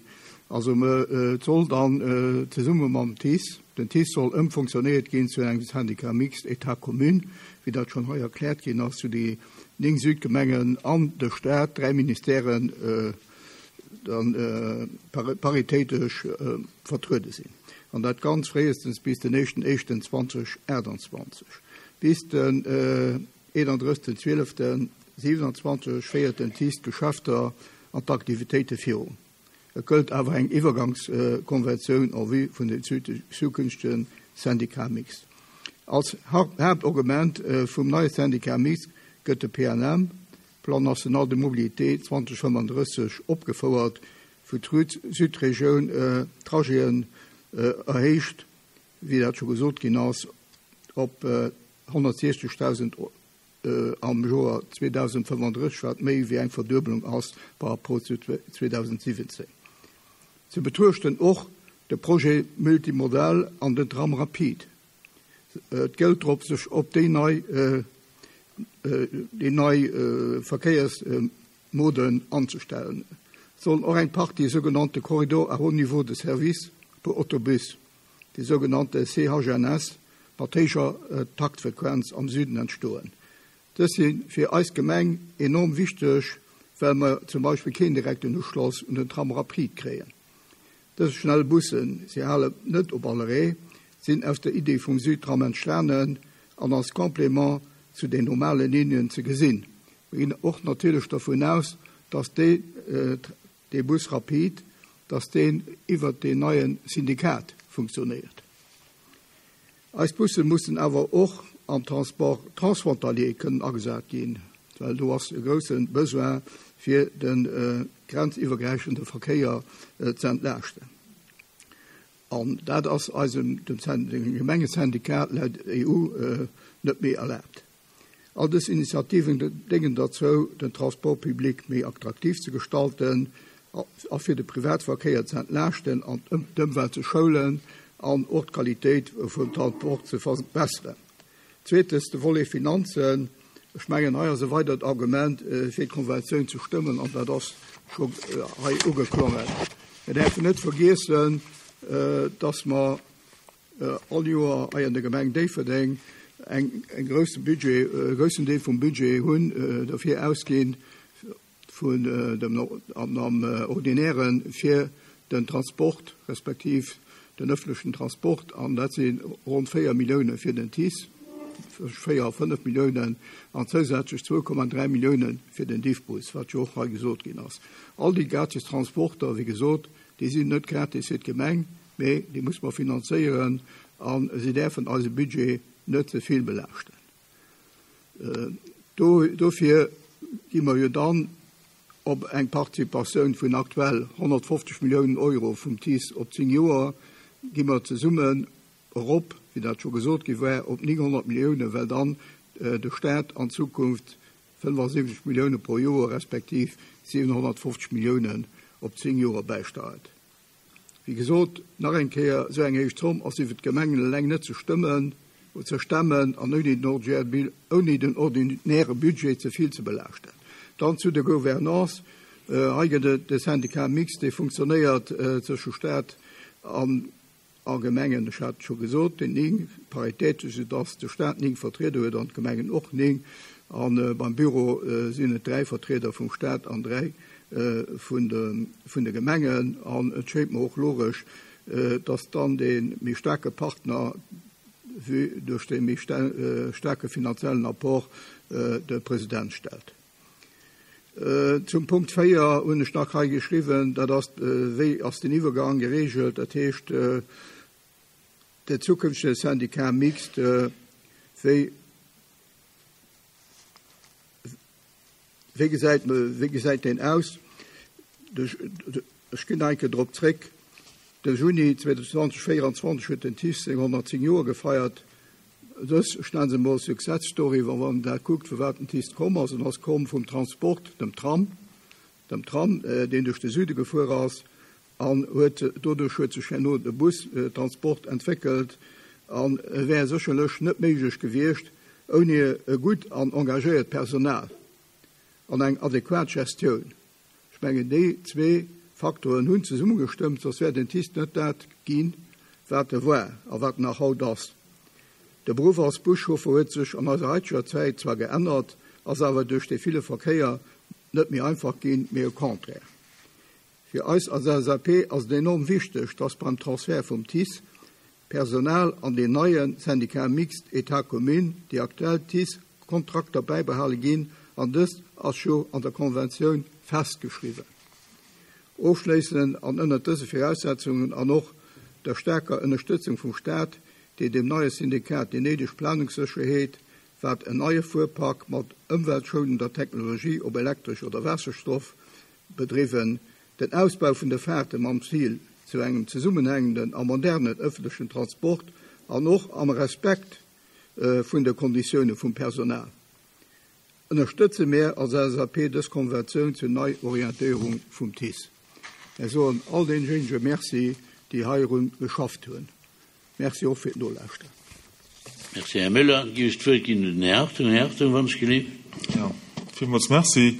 Also me, äh, soll dann, äh, zesumme mam T I C E, den T I C E soll ëmfunktionéiert ginn zu engem Syndicat mixte État-Commune, wéi dat schon hei erkläert ginn ass, zu déi néng Südgemengen an de Staat, dräi Ministèren, äh, dann, äh, paritätesch, äh, vertreten sinn. an dat ganz fréistens bis den éischten éischten zwanzeg aachtundzwanzeg. Bis den eenandrëssigsten zwieleften siewenundzwanzeg féiert den TICE d'Geschäfter an d'Aktivitéite virun. Et gëllt awer eng Iwwergangskonventioun en vue vun den zukünftege Syndicat mixte. Als Haaptargument vum neie Syndicat mixte gëtt de P N M, Plan national de mobilité zwanzeg fënnfandrësseg, opgefouert, wou d'Südregioun Trajeten erhéicht, wéi dat scho gesot ginn ass, op honnertsiechzegtausend am Joer zweedausendfënnfandrësseg, wat méi wéi eng Verduebelung ass par rapport zu zweedausendsiewendzehn. Ze betruechten och de Projet Multimodal an den Tram Rapide. Et gëllt drop, sech op déi nei, déi nei Verkéiersmoden anzustellen. Et sollen och eng Partie sogenannte Corridor à haut niveau de service pour Autobus, déi sogenannte C H N S, mat héijer Taktfrequenz am Süden entstoen. Dës si fir eis Gemeng enorm wichteg, well mer zum Beispill keen direkten Uschloss un den Tram Rapide kréien. Dës schnell Bussen, sie halen net op alle Reh, sinn aus der Idee vum Südtram entstanden an als Complément zu den normalen Linien ze gesinn. Wir gehen och natierlech davon aus, dass de, äh, de Bus Rapide, dass den iwwer den neien Syndikat funktioniert. Eis Busse mussen awer och am Transport transfrontalier kënnen agesat ginn, well do ass e groussen Besoin fir den, äh, grenziwwergräifende Verkéier, äh, ze entlaaschten. An dat ass eisem, dem Syn-, dem Gemengesyndikat laut E U, äh, net méi erlaabt. All dës Initiativen déngen dozou, den Transport public méi attraktiv ze gestalten, a fir de Privatverkéier ze entlaaschten an d'Ëmwelt ze schoulen an och d'Qualitéit vum Transport ze verbessern. Zweetens, de Volet Finanzen. Ech mengen, hei ass e weidert Argument, äh, fir d'Konventioun ze stëmmen, an dat ass scho, äh, hei ugeklongen. Wir dürfen net vergessen, äh, dass mer, äh, all Joer hei an der Gemeng Déifferdeng eng, eng grosse Budget, äh, grossen Deel vum Budget hunn, äh, dafür ausgehen vun, äh, dem No-, am, am, äh, Ordinären fir den Transport, respektiv den öffentlichen Transport, an dat sinn rund vier Millioune fir den T I C E, vier, fënnef Milliounen an zousätzlech zwei Komma drei Milliounen fir den Diffbus, wat jo och hei gesot ginn ass. All déi gratis Transporter, wéi gesot, déi sinn net gratis fir d'Gemeng, mee déi muss man finanzéieren an sie dürfen eise Budget net ze vill belaaschten. Äh, do, dofir gi mer jo dann op eng Participatioun vun aktuell honnertfünfzig Millionen Euro vum T I C E op zehn Joer, gi mer zesummen erop, wéi dat scho gesot gi war, op neunhundert Millioune, well dann, äh, de Staat an Zukunft fünfundsiebzig Millioune pro Joer respektiv siebenhundertfünfzig Milliounen op zehn Joer beisteuert. Wie gesot, nach eng Kéier so eng héich Zomm ass iwwer d'Gemengen eleng net ze stëmmen, ze stemmen an ouni den ordinäre, ouni den ordinäre Budget ze vill ze belaaschten. Dann zu der Gouvernance. Äh, hei gëtt et de Syndicat mixte, dee funktionéiert, äh, zwësche Staat an a Gemengen. Ech hat scho gesot, den ning paritätesch, sodass de Staat ning Vertrieder huet an d'Gemengen och ning. An, äh, beim Büro, äh, sinn et dräi Vertrieder vum Staat an dräi, äh, vun de, vun de Gemengen. An et schéint mir och logisch, äh, dass dann den méi starke Partner vu duerch den méi sta-, äh, starke finanziellen Apport, äh, de President stellt. Äh, zum Punkt vier hunn ech nach hei geschrieben, dat ass, äh, wéi ass den Iwwergang geregelt, dat heescht, äh, der zukünftige Syndikat mixte, äh, wéi, wéi gesäit, wéi gesäit den aus? De, de, ech ginn enke drop zréck. De Juni zweitausendzwanzig huet den T I C E seng hundertzehn Joer gefeiert. Dës, ech nenne se mol Success Story, wann man da guckt, vu wat den T I C E komm ass, und ass komm vum Transport, dem Tram, dem Tram, äh, den duerch de Süde gefuer ass, an huet, doduerch huet sech herno de Bustransport entwickelt, an wär sécherlech net méiglech gewiescht, ouni e gutt an engagéiert Personal an eng adäquat Gestioun. Ech mengen, déi zwee Faktoren hunn zesummegestëmmt, sonst wär den T I C E net dat ginn, wat e war a wat nach haut ass. De Beruf als Buschauffer huet sech an eiser heiteger Zäit zwar geännert, ass awer duerch de ville Verkéier net méi einfach ginn, mee au contraire. Fir eis als L S A P ass et enorm wichteg, dass beim Transfer vum T I C E Personal an deen neie Syndicat mixte État-Commune déi aktuell TICE-Kontrakter bäibehale ginn, an dëst ass jo an der Konventioun festgeschriwwen. Ofschléissend an ënnert dëse Viraussetzungen an och der staarker Ënnerstëtzung vum Staat, deen dem neie Syndikat déi néideg Planungssécherheet, wat en neie Fuerpark mat ëmweltschounender Technologie, ob elektresch oder Waasserstoff bedriwwen, den Ausbau vun de Faarte mam Zil zu engem zesummenhängenden a modernen ëffentlechen Transport an och am Respekt vun de Konditioune vum Personal, ënnerstëtze mär als LSAP dës Konventioun zur Neiorientéierung vum TICE. Mär soen all deejéinege Merci, déi heirun geschafft hunn. Merci och fir d'Nolauschteren. Merci, Här Müller. Géif ech d'Wuert ginn un den Här Hartung. Här Hartung, wann ech gelift. Jo, villmools Merci.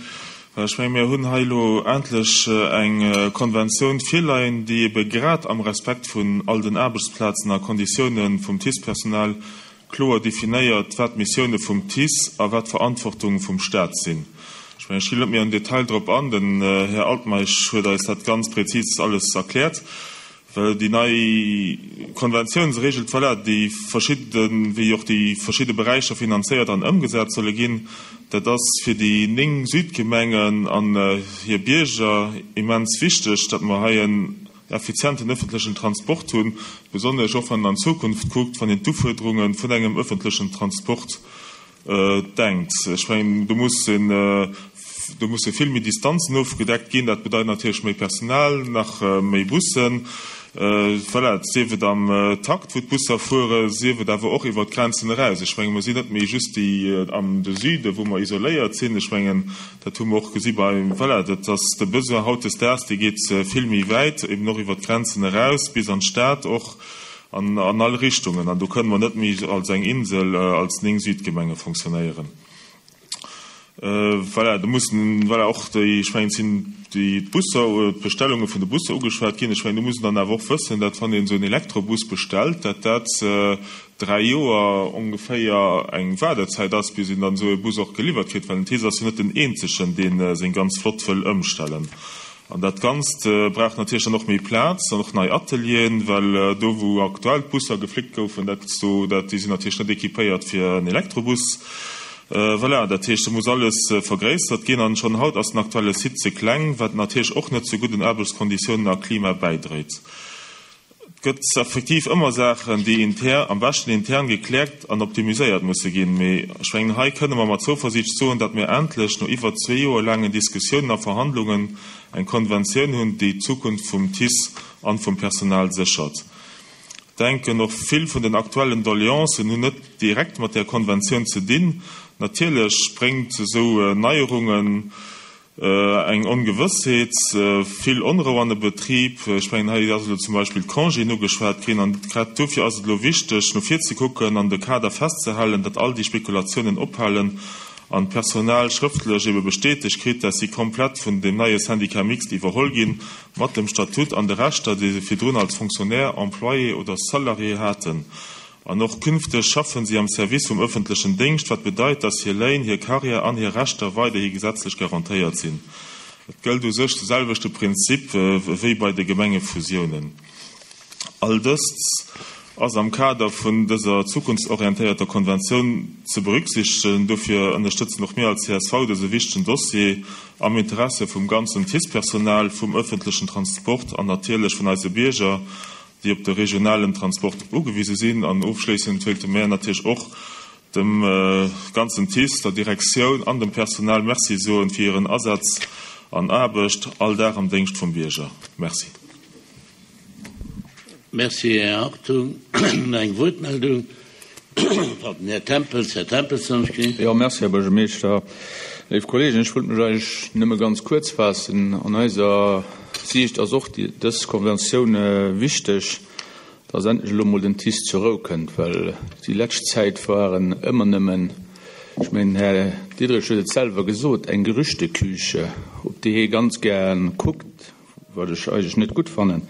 Ech menge mir hunn hei elo endlech eng Konventioun virleien, déi ebe grad am Respekt vun all den Aarbechtsplazen a Konditiounen vum TICE-Personal kloer definéiert, wat d'Missioune vum TICE a wat d'Verantwortung vum Stat sinn. Ech mengen, ech ginn net méi am Detail drop an, den Här Altmeisch huet eis dat ganz prezis alles erkläert. Well déi nei Konventioun, se regelt, voilà, déi verschidde, wéi och déi verschidde Beräicher finanzéiert an ëmgesat solle ginn. Dat ass fir déi néng Südgemengen an hir Bierger immens wichteg, datt mer hei en effizienten öffentlechen Transport hunn, besonnesch och wann een an d'Zukunft kuckt, wann een d'Ufuerderunge vun engem öffentlechen Transport denkt. Ech mengen, do muss een, do musse vill méi Distanzen ofgedeckt ginn. Dat bedeit natierlech méi Personal, nach méi Bussen. Voilà, sief et am Takt, wou d'Busser fueren, sief et awer och iwwert d'Grenzen eraus. Ech mengen, mer sinn net méi just déi am de Süden, wou mer isoléiert sinn. Ech mengen, dat hu mer och gesi bei, voilà, dat ass de Besoin hautdesdaags, dee geet vill méi wäit, eben och iwwert d'Grenzen eraus bis an d'Stad och an an all Richtungen. An do kënne mer net méi als eng Insel, als néng Südgemenge fonctionnéieren. Voilà, do mussen, voilà, och déi, ech mengen, et sinn déi Busser, d'Bestellunge vun de Busser ugeschwat ginn. Ech mengen, do muss een dann awer och wëssen, datt wann een esou en Elektrobus bestellt, datt dat dräi Joer ongeféier eng Waardezäit ass, bis een dann esou e Bus och geliwwert kritt, well den TICE ass jo net den eenzegen, dee seng ganz Flott wëll ëmstellen. An dat Ganzt brauch natierlech dann och méi Plaz an och nei Atelieren, well do wou aktuell d'Busser geflickt goufen, dat do, dat, déi sinn natierlech net équipéiert fir en Elektrobus. Voilà, dat heescht, do muss alles vergréissert ginn. An schonn haut ass den aktuelle Site ze kleng, wat natierlech och net zu gudden Aarbechtskonditiounen a Klima bäidréit. Et gëtt effektiv ëmmer Saachen, déi inter, am beschten intern gekläert an optimiséiert musse ginn. Mee ech mengen, hei kënne mer mat Zouversiicht soen, datt mir endlech no iwwer zwee Joer laangen Diskussiounen a Verhandlungen eng Konventioun hunn, déi d'Zukunft vum TICE an vum Personal séchert. Denken, och vill vun den aktuellen Doleancen hunn net direkt mat där Konventioun ze dinn. Natierlech bréngt esou Neierungen eng Ongewëssheet, vill Onrou an de Betrib. Ech mengen, hei ass elo zum Beispill d'Congéen ugeschwat ginn. An grad dofir ass et elo wichteg, no vir ze kucken an de Kader festzehalen, datt all déi Spekulatiounen ophalen an d'Personal schrëftlech ebe bestätegt kritt, dat si komplett vun deem neie Syndicat mixte iwwerholl ginn, mat dem Statut an de Rechter, déi se virdrun als Fonctionnaire, Employé oder Salarié haten. An och künfteg schaffen si am Service vum öffentlechen Déngscht, wat bedeit, dass hir Léin, hir Carrière an hir Rechter weiderhi gesetzlech garantéiert sinn. Et gëllt u sech de selwechte Prinzip wéi bei de Gemengefusiounen. All dëst ass am Kader vun dëser zukunftsorientéierter Konventioun ze berücksichtegen. Dofir ënnerstëtzen och mir als csv dëse wichtegen Dossier am Interesse vum ganzen TICE-Personal, vum öffentlechen Transport an natierlech vun eise Bierger, déi op de regionalen Transport ugewise sinn. An ofschléissend wéilte mär natierlech och dem ganzen TICE, der Direktioun an dem Personal Merci soen fir hiren Asaz an Aarbecht all Dag am Déngscht vum Bierger. Merci. Merci, Här Hartung. Nach eng Wuertmeldung? Pardon, Här Tempels. Här Tempels, dann ech ginn. Jo, merci, Här Buergermeeschter. Léif Kollegen, ech wollt mech eigentlech nëmme ganz kuerz faassen. An eiser Siicht ass och dës Konventioun wichteg, dass endlech elo emol den TICE zur Rou kënnt, well déi lescht Zäit waren ëmmer nëmmen, ech mengen, den Här Diderich huet et selwer gesot, eng Gerüchteküche, op déi hie ganz gär kuckt, wat ech eigentlech net gutt fannen,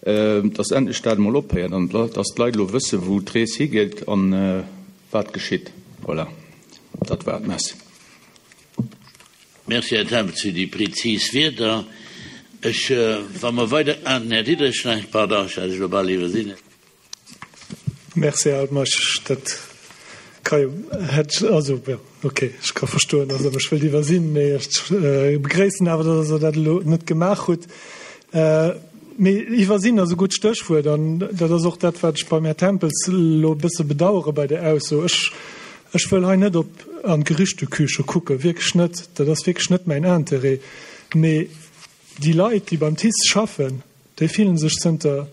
dass endlech dat emol ophéiert an dass d'Leit elo wëssen, wou d'Rees higeet an wat geschitt. Voilà, dat war et. Merci. Merci, Här Tempels, fir déi prezis Wierder. Ech, wa mer weider, ah, den Här Diderich nach, pardon, ech hat lech elo bal iwwersinn. Merci, Här Altmeisch. Dat ka jo, hätt, also, jo, okay, ech ka verstoen, dass Der mech wëllt iwwersinn, mee ech begréissen awer, dass Der dat elo net gemaach hutt. Mee iwwersinn ass e gutt Stéchwuert an dat ass och dat, wat ech beim Här Tempels elo e bësse bedauere bei der Ausso. Ech, ech wëll hei net op an d'Gerüchteküche kucken, wierklech net, dat ass wierklech net mäin Interêt. Mee déi Leit, déi beim TICE schaffen, déi fillen sech zënter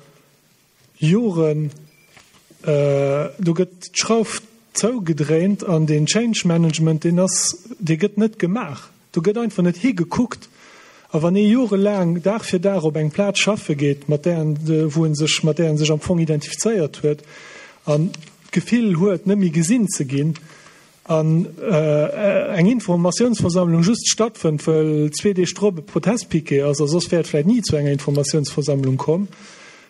Joren, do gëtt d'Schrauf zougedréint an deen Change Management, deen ass, dee gëtt net gemaach. Do gëtt einfach net higekuckt. A wann ee jorelaang Dag fir Dag op eng Plaz schaffe geet, mat där en, wou en sech, mat där en sech am Fong identifizéiert huet an d'Gefill huet, net méi gesinn ze ginn, an eng Informatiounsversammlung just stattfënnt, well zwee Deeg drop e Protestpiquet ass, a soss wär et vläicht ni zu enger Informatiounsversammlung komm,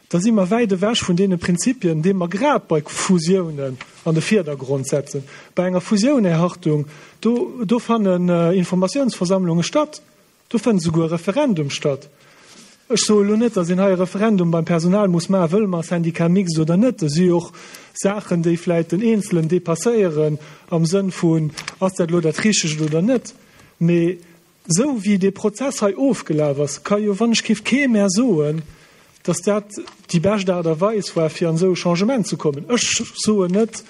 da si mer wäit ewech vun deene Prinzipien, déi mer grad bei Fusiounen an de Vierdergrond setzen. Bei enger Fusioun, Här Hartung, do, do fannen Informatiounsversammlunge statt, do fënnt esouguer e Referendum statt. Ech soe elo net, datt een hei e Referendum beim Personal muss maachen, wëlle mer e Syndicat mixte oder net. Dat si jo och Saachen, déi vläicht den Eenzelen dépasséieren am Sënn vun, ass dat elo dat Richtegt oder net. Mee esou wéi dee Prozess hei ofgelaf ass, ka jo wann ech géif kee mer soen, datt dat déi bescht Aart a Weis war, fir an esou e Changement ze kommen. Ech soen net,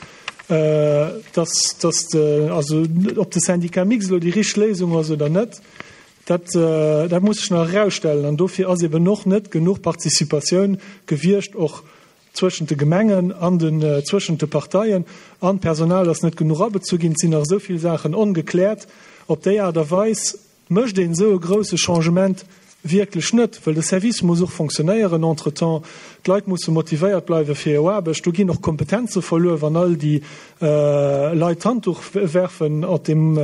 datt, datt, also ob de Syndicat mixte elo déi richteg Léisung ass oder net, dat, dat muss sech nach erausstellen. An dofir ass eben och net genuch Participatioun gewiescht, och zwëschent de Gemengen an den, zwëschent de Parteien. An d'Personal ass net genuch abezu ginn. Et sinn nach esou vill Saachen ongekläert. Op déi Aart a Weis mécht een esou e grouse Changement wierklech net, well de Service muss och fonctionnéieren entretemps. D'Leit musse motivéiert bleiwe fir hir Aarbecht. Do ginn och Kompetenze verluer, wann all déi Leit d'Handduch werfen. Op deem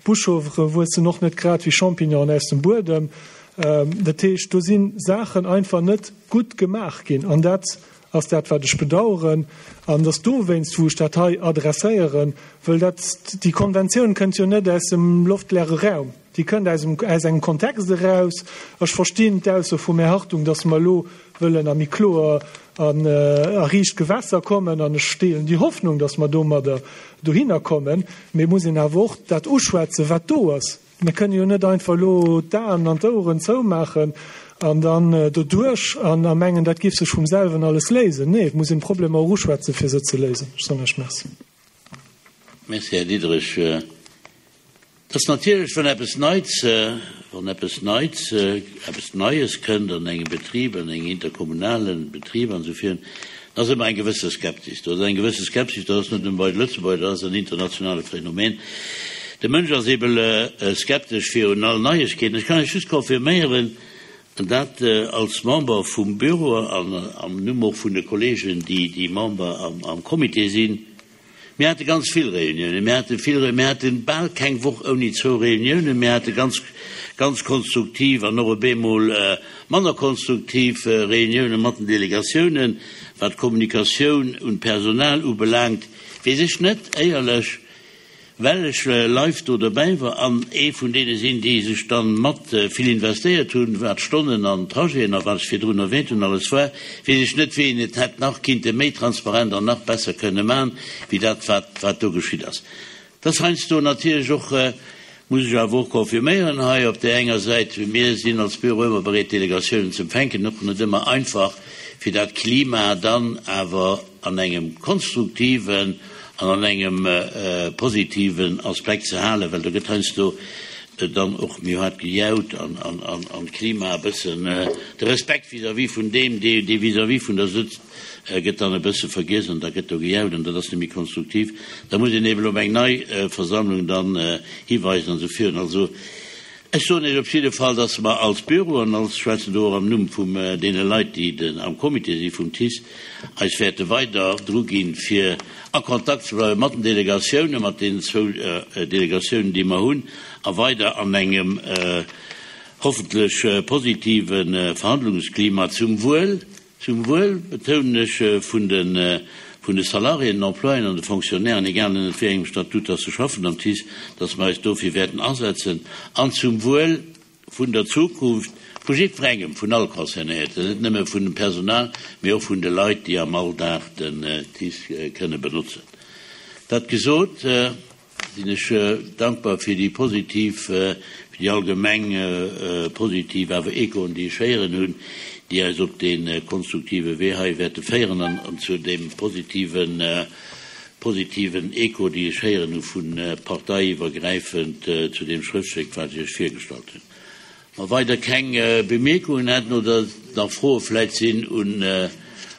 Buschaufere wuessen och net grad wéi Champignonen aus dem Buedem. Dat heescht, do si Saachen einfach net gutt gemaach ginn. An dat ass dat, wat ech bedauern. An dass dowéinst, wou ech dat hei adresséieren, well dat, déi Konventioun kënnt jo net aus dem loftleere Raum, déi kënnt aus dem, aus engem Kontext eraus. Ech verstinn d'Ausso vum Här Hartung, dass mer elo wëllen a méi kloer an a riicht Gewässer kommen, an ech deelen déi Hoffnung, dass mer domadder dohinner kommen. Mee et muss een awer och dat uschwätzen, wat do ass. Mir kënnen jo net einfach elo d'Aen an d'Oueren zoumaachen an dann doduerch an a mengen, dat géif sech vum selwen alles léisen. Nee, et muss een d'Problemer och uschwätzen, fir se ze léisen. Ech soen lech Merci. Merci, Här Diderich. Et ass natierlech, wann eppes Neits, wann eppes Neits, eppes Neies kënnt an engem Betrib, an engem interkommunale Betrib an esou virun, da ass ëmmer eng gewësse Skepsis do. Ass eng gewësse Skepsis do, dat ass net nëmme bei de Lëtzebuerger, dat ass en internationale Phänomen. De Mënsch ass eebel skeptesch virun all Neiegkeeten. Ech kann Iech just confirméieren, an dat als Member vum Büro an am Numm och vun de Kollegen, déi déi Member am am Comité sinn, Mir hate ganz vill Reuniounen, mir hate vill, mir hate bal keng Woch ouni zwou Reuniounen, mir hate ganz, ganz konstruktiv an och e bemol manner konstruktiv Reuniounen mat den Delegatiounen. Wat d'Kommunikatioun un d'Personal ubelaangt, weess ech net, éierlech, well ech live do dobäi war an ee vun deene sinn, déi sech dann mat vill investéiert hunn, wat d'Stonnen an d'Trajeten a wat ech virdrun erwähnt hunn alles war, weess ech net, wéi een et hätt nach kinnte méi transparent an nach besser kënne maachen, wéi dat, wat, wat do geschitt ass. Et ass heiansdo natierlech och, muss ech awer och confirméieren hei, op där enger Säit, mir sinn als Büro ëmmer bereet, Delegatiounen ze empfänken, och net ëmmer einfach, fir dat Klima dann awer an engem konstruktiven an an engem positiven Aspekt ze halen, well do gëtt heiansdo dann och méi haart gejaut an an d'Klima e bëssen, de Respekt vis-à-vis vun deem, dee vis-à-vis vun der sëtzt, gëtt dann e bësse vergiess an da gëtt do gejaut an dat ass net méi konstruktiv. Da muss een eben op eng nei Versammlung dann hiweisen an esou virun. Also ech soen Iech op jidde Fall, dass mer als Büro, an als schwätzen do och am Numm vum deene Leit, déi den am Comité si vum TICE, eis wäerte weider dru ginn, fir a Kontakt ze bleiwe mat den Delegatiounen, mat deenen zwou Delegatiounen, déi mer hunn, a weider an engem hoffentlech positive Verhandlungsklima zum Wuel, zum Wuel, betounen ech, vun de vun de Salariéen, den Employéen an de Fonctionnairen, egal ënnert wéi engem Statut dass se schaffen am TICE, dass mer eis dofir wäerten asetzen an zum Wuel vun der Zukunft Vu jiddwerengem, vun all Concernéierten, net nëmme vun dem Personal, mee och vun de Leit, déi am Alldag den TICE kënne benotzen. Dat gesot, sinn ech dankbar fir déi positiv, fir déi allgemeng positiv awer Echoen, déi ech héieren hunn, déi eis op dee konstruktive Wee hei wäerte féieren an zu deem positiven, positiven Echo, déi ech héieren hu vu parteiiwwergräifend zu deem Schrëftstéck, wat ech Iech virgestallt hunn. Wa weider keng Bemierkungen hätten oder nach Froe vläit sinn un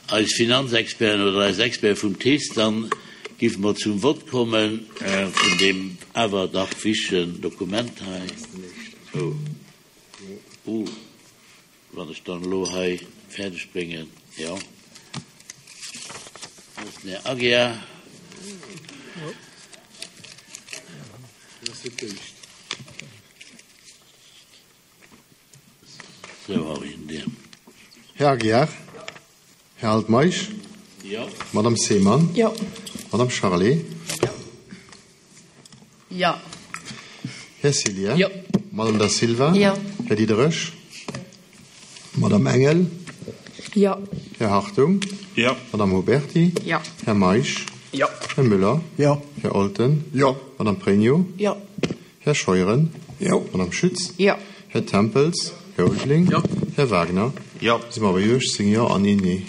eis Finanzexperten oder eis Experte vum TICE, dann géife mer zum Vott komme vun deem awer dach wichtegen Dokument hei. Oh, oh, wann ech dann elo hei fäerdeg bréngen, jo. Den Här Aguiar. Här Aguiar? Här Altmeisch? Madame Seemann? Madame Charlé? Här Cillien? Madame Da Silva? Här Diderich? Madame Engel? Här Hartung? Madame Huberty? Här Meisch? Här Müller? Här Olten? Madame Pregno? Här Scheuren? Madame Schütz? Här Tempels? Här Ulveling? Här Wagner? Si mer bei uechtzéng Jo an een Nee.